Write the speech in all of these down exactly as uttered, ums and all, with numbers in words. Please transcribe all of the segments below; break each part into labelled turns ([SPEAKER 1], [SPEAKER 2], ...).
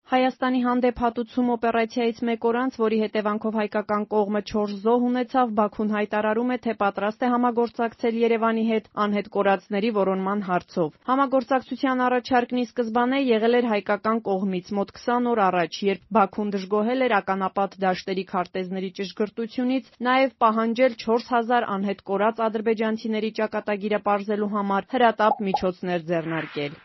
[SPEAKER 1] Հայաստանի հանդեպ հատուցում օպերացիայից մեկ օր անց, որի հետևանքով հայկական կողմը չորս զոհ ունեցավ, Բաքուն հայտարարում է, թե պատրաստ է համագործակցել Երևանի հետ անհետ կորածների որոնման հարցով։ Համագործակցության առաջարկն ի սկզբանե եղել էր հայկական կողմից մոտ քսան օր առաջ, երբ Բաքուն դժգոհել էր ականապատ դաշտերի քարտեզների ճշգրտությունից, նաև պահանջել չորս հազար անհետ կորած ադրբեջանցիների ճակատագիրը պարզելու համար հրատապ միջոցներ ձեռնարկել։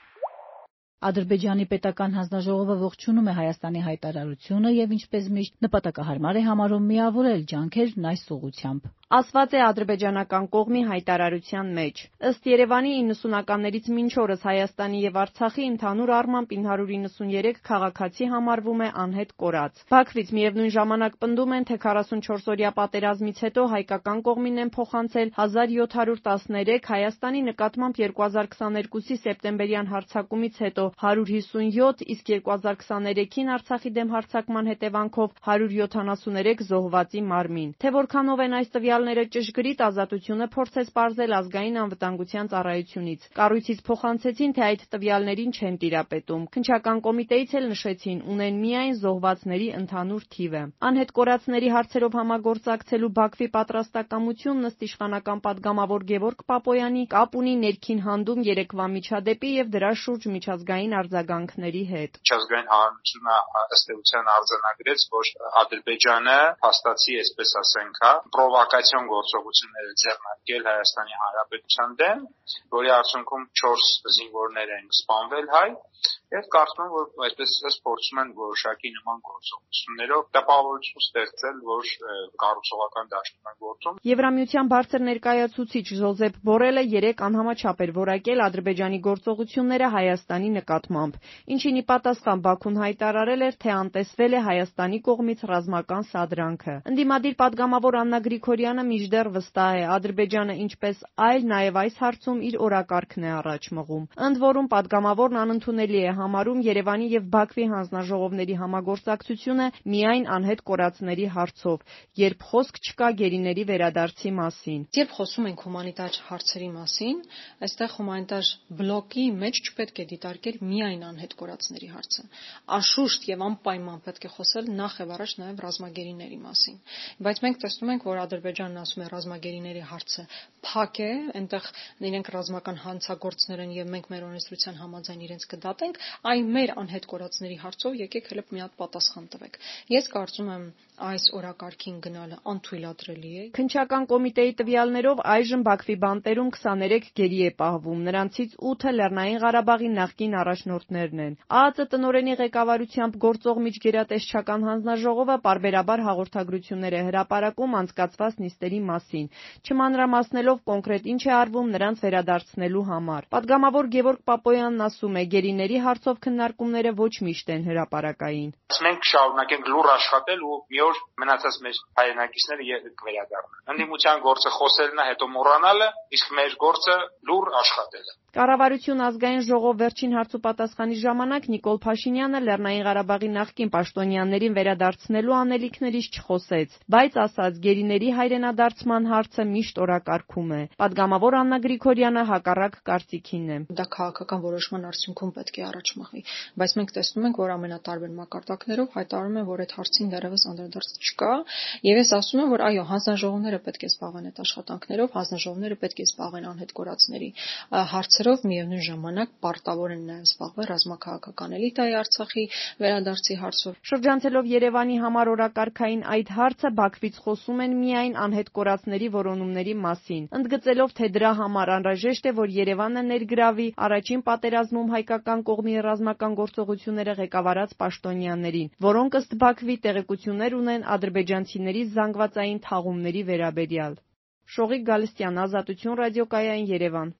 [SPEAKER 2] Ադրբեջանի պետական հանձնաժողովը ողջունում է Հայաստանի հայտարարությունը եւ ինչպես միշտ նպատակահարմար է համարում միավորել ջանքերն այս ուղղությամբ։
[SPEAKER 1] Ասված է ադրբեջանական կողմի հայտարարության մեջ։ Ըստ Երևանի իննսունականներից մինչ օրս Հայաստանի եւ Արցախի ընդհանուր առմամբ ինը հարյուր իննսունյերեք քաղաքացի համարվում է անհետ կորած։ Բաքվից միևնույն ժամանակ պնդում են, թե քառասունչորսօրյա պատերազմից հետո հայկական կողմին են փոխանցել հազար յոթ հարյուր տասներեք, Հայաստանի նկատմամբ երկու հազար քսաներկուսի սեպտեմբերյան հարձակումից հետո հարյուր հիսունյոթ, իսկ երկու հազար քսաներեքին Արցախի դեմ հարձակման հետևանքով հարյուր յոթանասուներեք զոհվածի մարմին։ Թե որքանով են այս տվյալները ճշգրիտ, Ազատությունը փորձեց պարզել ազգային անվտանգության ծառայությունից։ Կառույցից փոխանցեցին, թե այդ տվյալներին չեն տիրապետում։ Քննչական կոմիտեից էլ նշեցին, ունեն միայն զոհվածների ընդհանուր թիվը։ Անհետ կորածների հարցերով համագործակցելու Բաքվի պատրաստակամությունն ըստ իշխանական պատգամավոր Գևորգ Պապոյանի կապ ունի ներքին հանդում երեկվա միջադեպի եւ դրա շուրջ միջազգային արձագանքների հետ։
[SPEAKER 3] Միջազգային հանրությունը ըստ էության արձանագրեց, որ Ադրբեջանը փաստացի, այսպես ասենք, պրովոկացիոն գործողություններ է ձեռնարկել Հայաստանի Հանրապետության դեմ, որի արդյունքում չորս զինվորներ են սպանվել հայ, եւ կարծում եմ, որ այսպես ասած փորձում են որոշակի նման գործողություններով տպավորություն ստեղծել, որ կառուցողական դաշտում են գործում։
[SPEAKER 1] Եվրամիության բարձր ներկայացուցիչ Ժոզեփ Բորելը երեկ անհամաչափ էր որակել Ադրբեջանի գործողությունները Հայաստանի նկատմամբ, ինչին ի պատասխան Բաքուն հայտարարել էր, թե անտեսվել է Հայաստանի կողմից ռազմական սադրանքը։ Ընդդիմադիր պատգամավոր Աննա Գրիգորյանը մինչդեռ վստահ է, Ադրբեջանը ինչպես այլ, նաև այս հարցում իր օրակարգն է առաջ մղում։ Ընդ որում պատգամավորն անընդունելի է համարում Երևանի եւ Բաքվի հանձնաժողովների համագործակցությունը միայն անհետ կորածների հարցով, երբ խոսք չկա գերիների վերադարձի մասին։
[SPEAKER 4] Երբ խոսում ենք հումանիտար հարցերի մասին, այստեղ հումանիտար բլոկի մեջ չպետք է դիտարկել միայն անհետ կորածների հարցը։ Անշուշտ եւ անպայման պետք է խոսել նախ եւ առաջ նաեւ ռազմագերիների մասին։ Բայց մենք տեսնում ենք, որ Ադրբեջանն ասում է ռազմագերիների հարցը փակ է, այնտեղ իրենք ռազմական հանցագործներ են եւ մենք մեր օրենսդրության համաձայն իրենց կդատենք, այ մեր անհետ կորածների հարցով եկեք հələ մի հատ պատասխան տվեք։ Ես կարծում եմ այս օրակարգին գնալը անթույլատրելի է։
[SPEAKER 1] Քննչական կոմիտեի տվյալներով այժմ Բաքվի բանտերում քսաներեք գերի է պահվում, նրանցից ութը Լեռնային Ղարաբաղի նախկին առաջնորդներն են։ ԱԱԾ տնօրենի ղեկավարությամբ գործող միջգերատեսչական հանձնաժողովը պարբերաբար հաղորդագրություններ է հրապարակում անցկացված նիստերի մասին, չմանրամասնելով կոնկրետ ինչ է արվում նրանց վերադարձնելու համար։ Պատգամավոր Գևորգ Պապոյանն ասում է, գերիների հարցով քննարկումները ոչ միշտ են հրապարակային։
[SPEAKER 3] Մենք շարունակենք լուռ աշխատել ու մի օր մնացած մեր հայրենակիցները կվերադառնան։ Ընդդիմության գործը խոսելն է, հետո մոռանալը, իսկ մեր գործը լուռ աշխատելը։
[SPEAKER 1] Կառավարություն ազգային ժողով վերջին հարցուպատասխանի ժամանակ Նիկոլ Փաշինյանը Լեռնային Ղարաբաղի նախկին պաշտոնյաներին վերադարձնելու անելիքներից չխոսեց, բայց ասաց, գերիների հայրենադարձման հարցը միշտ օրակարգում է։ Պատգամավոր Աննա Գրիգորյանը հակառակ կարծիքին է։
[SPEAKER 4] Դա քաղաքական որոշման արդյունքում պետք է առաջ մղվի, բայց մենք տեսնում ենք, որ ամենատարբեր մակարդակներով հայտարարում են, որ այդ հարցին դեռևս անդրադարձ չկա, եւ ես ասում եմ, որ այո, հանձնաժողովները պետք է զբաղվեն այդ աշխատանքներով, հանձնաժողովները պետք է զբաղվեն անհետ կորածների հարցերով, միևնույն ժամանակ պարտավոր են նաև զբաղվել ռազմաքաղաքական էլիտայի Արցախի վերադարձի հարցով։
[SPEAKER 1] Շրջանցելով Երևանի համար օրակարգային այդ հարցը, Բաքվից խոսում են միայն անհետ կորածների որոնումների մասին, ընդգծելով, թե դրա համար անհրաժեշտ է, որ Երևանը ներգրավի առաջին պատերազմում հայկական կողմի ռազմական գործողությունները ղեկավարած պաշտոնյաներին, որոնք ըստ Բաքվի տեղեկություններ ունեն ադրբեջանցիների զանգվածային թաղումների վերաբերյալ։ Շողիկ Գալստյան, Ազատություն ռադիոկայան, Երևան։